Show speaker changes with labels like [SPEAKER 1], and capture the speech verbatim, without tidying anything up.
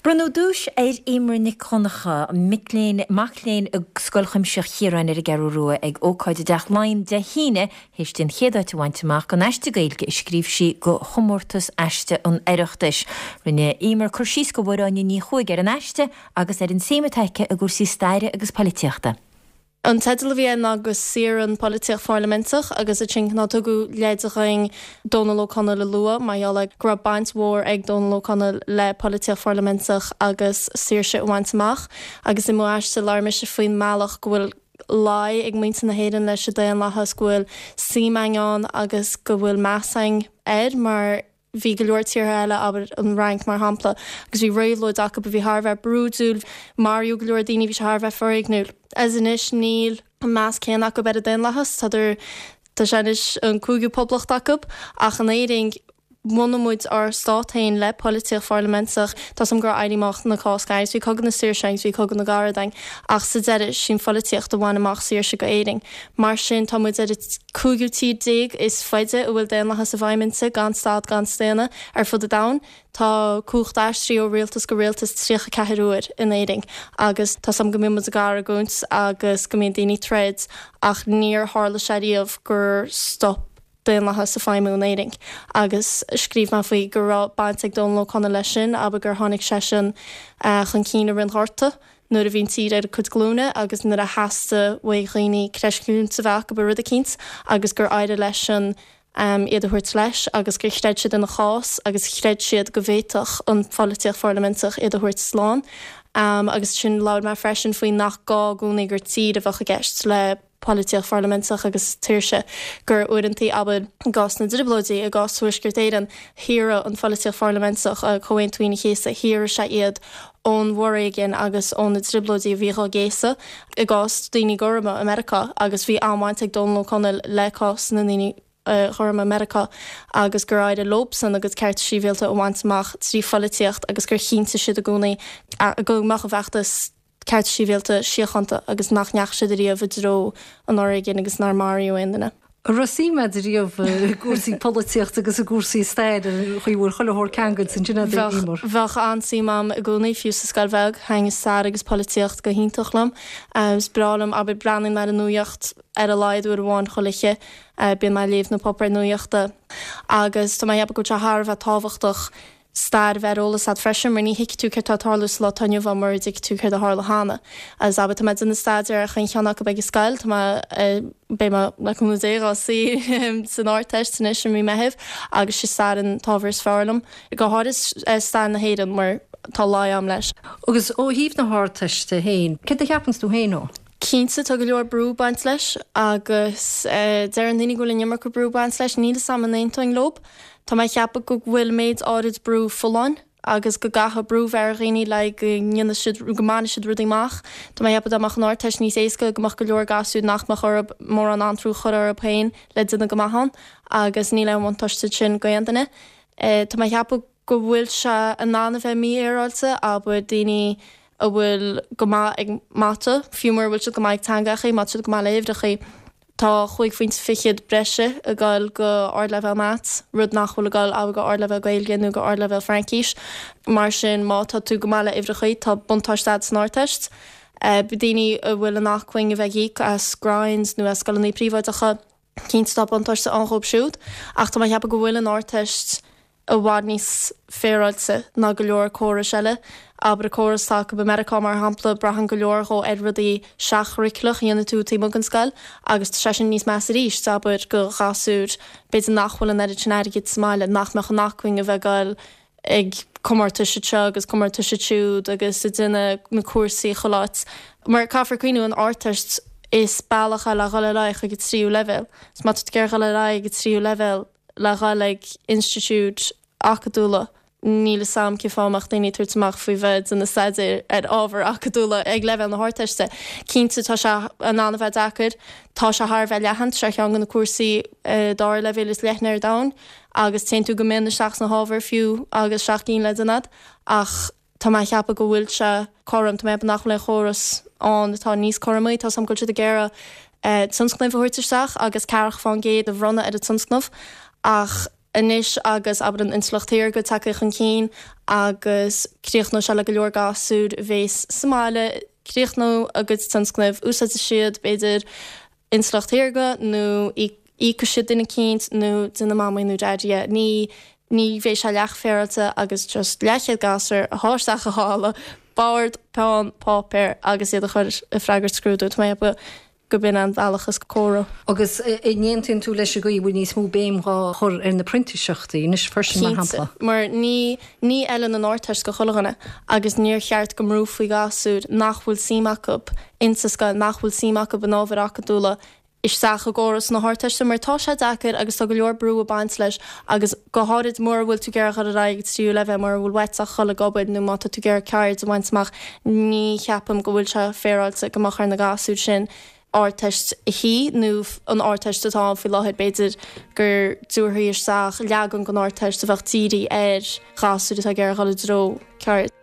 [SPEAKER 1] Bronnadh duais ar Eimear Nic Dhonncha, mic léinn mac léinn i Scoil Chuimsitheach Chiaráin ar an gCeathrú Rua ag ócáid i dTeach Laighean Dé hAoine théis di an chéad áit a bhaint amach don aiste Gaeilge a scríobh sí do chomórtas aiste an Oireachtais. Rinne Eimear cur síos do Mháire Áine Ní Chuaig ar an aiste agus ar an suim atá aici i gcúrsaí staire agus polaitíochta.
[SPEAKER 2] An teideal a bhí ná go saorann polaitíocht pharlaiminteach agus ansin ná tugadh leid dhúinn Dónal Ó Conaill a lua mar gheall go raibh baint mhór ag Dónal Ó Conaill le polaitíocht pharlaiminteach agus saoirse a bhaint amach agus i m'aiste labhair mise faoin mbealach go bhfuil luí ag muintir na hÉireann leis an daonlathas go bhfuil suim ann agus go bhfuil meas air mar bhí go leor tíortha eile abair an Fhrainc mar shampla agus bhí réabhlóid acu a bhí thar a bheith brúidiúil maraíodh go leor daoine bhí sé thar a bheith foréigniúil. Is anois níl an meas céanna acu ar an daonlathas Tá tá sé anois an cúigiú poblacht acu ach in Éirinn bhunaigh muid ár stát féin le polaitíocht pharlaiminteach Tá sam gur éirí amach na Cásca agus bhí cogadh na saoirse agus bhí cogadh na gCarad ann ach sa deireadh sin pholaitíocht a bhain amach saoirse go Éirinn. Mar sin tá muid ar cúigiú tír déag is faide a bhfuil daonlathas i bhfeidhm inti gan stad gan staonadh ar fud an domhain. Tá cumhacht aistrithe ó rialtas go rialtas tríocha ceathair uair in Éirinn agus tá sam go mbíonn muid ag argóint agus go mbíonn daoine troid ach níor tharla sé riamh gur stop daonlathas ag feidhmiú in Éirinn agus scríobh mé faoi go raibh baint ag Dónal Ó Conaill leis sin aber gur tháinig seisean uh, chun cinn i rith an Ghorta nuair a bhí an tír ar a cuid glúine agus nuair a theastaigh ó dhaoine creidmheas a bheith acu i rud eicínt agus gur éirigh leis an um, iad a thabhairt leis agus gur chreid siad ina chás agus chreid siad go bhféadfadh an pholaitíocht pharlaiminteach iad a thabhairt slán. Um, agus sin labhair mé freisin faoi nach gá i gcónaí gur tír a bheadh i gceist le polaitíocht pharlaiminteach agus saoirse gur uaireanta abair i gcás na dTrioblóidí i gcás Thuaisceart Éireann shaor an pholaitíocht pharlaiminteach a Comhaontú Aoine an Chéasta shaor sé iad ón bhforéigean agus ó na trioblóidí a bhí á gcéasadh i gcás daoine gorma i Meiriceá agus bhí an-bhaint ag Dónal Ó Conaill le cás na ndaoine gorma Meiriceá agus gur éirigh leosan agus cearta sibhialta a bhaint amach trí pholaitíocht agus gur chinntigh siad i gcónaí go mbeadh a bhfeachtas cearta sibhialta síochánta agus nach ndeachaigh siad riamh i dtreo an fhoréigin agus nár maraíodh aon duine.
[SPEAKER 3] Raibh suim agat riamh i gcúrsaí polaitíochta agus i gcúrsaí staire chuir chuile shórt ceangal sin
[SPEAKER 2] Bheadh bheadh an-suim agam i gcónaí fiú sa scoil bheag thaitin stair agus polaitíocht go hiontach liom. Is breá liom abair breathnaím ar an nuacht ar a laghad uair amháin chuile oíche bíonn mé ag léamh na páipéir nuachta agus tá mé ag ceapadh go bhfuil sé thar a bheith tábhachtach stair bheith ar eolas agat freisin mar ní thuigfidh tú céard atá ag tarlú sa lá atá inniu ann mura dtuigfidh tú céard a tharla cheana. Agus abair tá mé ag déanamh staidéar ar chaon cheann acu ag an scoil tá mé beidh mé le cúnamh Dé á suí san Ardteist anois i mí Mheithimh agus sé stair an t-ábhar is fearr liom. Go háirithe stair na hÉireann mar tá luí agam leis.
[SPEAKER 3] Agus ó thaobh na hArdteiste féin, céard a cheapann tú féin ó?
[SPEAKER 2] Cinnte tá go leor brú ag baint leis agus uh, deir daoine go bhfuil an iomarca brú ag baint leis níl a fhios agam an aontóinn leo. Tá mé ag ceapadh go bhfuil méid áirid brú folláin agus go gcaithfidh brú bheith ar dhaoine le go ndéanfaidh siad go mbainfidh siad rudaí amach. Tá mé ag ceapadh dá mbeadh an Ardteist níos éasca go mbeadh go leor gasúr nach mbeadh orthu mórán anró a chur orthu féin le déanamh go maith ann agus níl aon bhuntáiste sin do aon duine. E, Tá mé ag ceapadh go bhfuil sé in ann a bheith mífhéaráilte abair daoine a bhfuil go maith ag mata, fiú mura bhfuil siad go maith ag teangacha, má tá siad go maith le huimhreacha. Tá chúig phointe fichead breise ag dul go ardleibhéal maths, rud nach bhfuil ag dul abair go ardleibhéal Gaeilge nó go ardleibhéal Fraincis. Mar sin má tá tú go maith le huimhreacha tá buntáiste agat san Ardteist. Uh, daoine a bhfuil an acmhainn a bheith ag íoc as grinds nó as scoileanna príobháideacha cinnte tá buntáiste ann dóibh siúd, ach tá mé ag ceapadh go bhfuil an Ardteist i bhfad níos féaráilte ná go leor córais eile. Abair córas atá acu i Meiriceá mar shampla braitheann go leor dhó ar rudaí seach-churaclach a dhéanann tú taobh amuigh den scoil agus tá sé sin níos measa arís abair do ghasúir b'fhéidir nach bhfuil an oiread sin airgid sa mbaile nach mbeadh an acmhainn a bheith ag dul ag comórtais seo agus comórtais siúd agus ag déanamh na cúrsaí chuile áit. Mar caithfear cuimhneamh an Ardteist is bealach é le dhul ar aghaidh chuig an tríú leibhéal. 'S má tá tú ag dul ar aghaidh ag an tríú leibhéal le dhul ag institiúid acadúla níl a fhios agam cén fáth a mbeadh daoine tabhairt amach faoi bheith ag déanamh staidéir ar ábhar acadúla ag leibhéal na hArdteiste. Cinnte tá sé in ann a bheith deacair, tá sé thar a bheith leathan sé ceann de na cúrsaí dara leibhéal is leithne ar domhan agus téann tú go mion isteach sna hábhair fiú agus seacht gcinn le déanamh ach tá mé ag ceapadh go bhfuil sé cothrom tá mé nach bhfuil aon chóras ann atá níos cothromaí tá sam go bhfuil siad ag iarraidh tionscnamh a thabhairt isteach agus ceathracha faoin gcéad a bhronnadh ar an tionscnamh ach Anois agus abair an intleacht shaorga tagtha chun cinn agus críochnóidh sé le go leor gasúr a bhéas sa mbaile, críochnóidh a gcuid tionscnaimh, úsáidfidh siad b'fhéidir intleacht shaorga nó íocfaidh siad duine eicínt nó déanfaidh mamaí nó daidí é. Ní ní bheidh sé leathfhéaráilte agus just leathchéad gasúr a shá isteach i halla, bord, peann, páipéar agus iad a chur ag freagairt scrúdú. Tá mé ag ceapadh go b'in an bealach is córa.
[SPEAKER 3] Agus an n-aontaíonn tú leis an gcaoi a bhfuil níos mó béim dhá chur ar na printíseachtaí anois freisin, mar
[SPEAKER 2] Cinnte,
[SPEAKER 3] shampla?
[SPEAKER 2] mar ní ní fheileann an Ardteist go chuile dhuine agus níor cheart go mbrúfaí gasúir nach bhfuil suim acu insa scoil, nach bhfuil suim acu in ábhair acadúla isteach i gcóras na hArdteiste mar tá sé deacair agus tá go leor brú ag baint leis agus go háirid mura bhfuil tú ag iarraidh dhul ar aghaidh ag tríú leibhéal, mura bhfuil uait ach dhul ag obair nó má tá tú ag iarraidh ceird a bhaint amach, ní cheapaim go bhfuil sé féaráilte go mbeadh ar na gasúir sin Ardteist a shuí nó an Ardteist atá ann faoi láthair, b'fhéidir go dtabharfaí isteach leagan den Ardteist a bheadh dírithe ar ghasúir atá ag iarraidh dhul i dtreo ceird.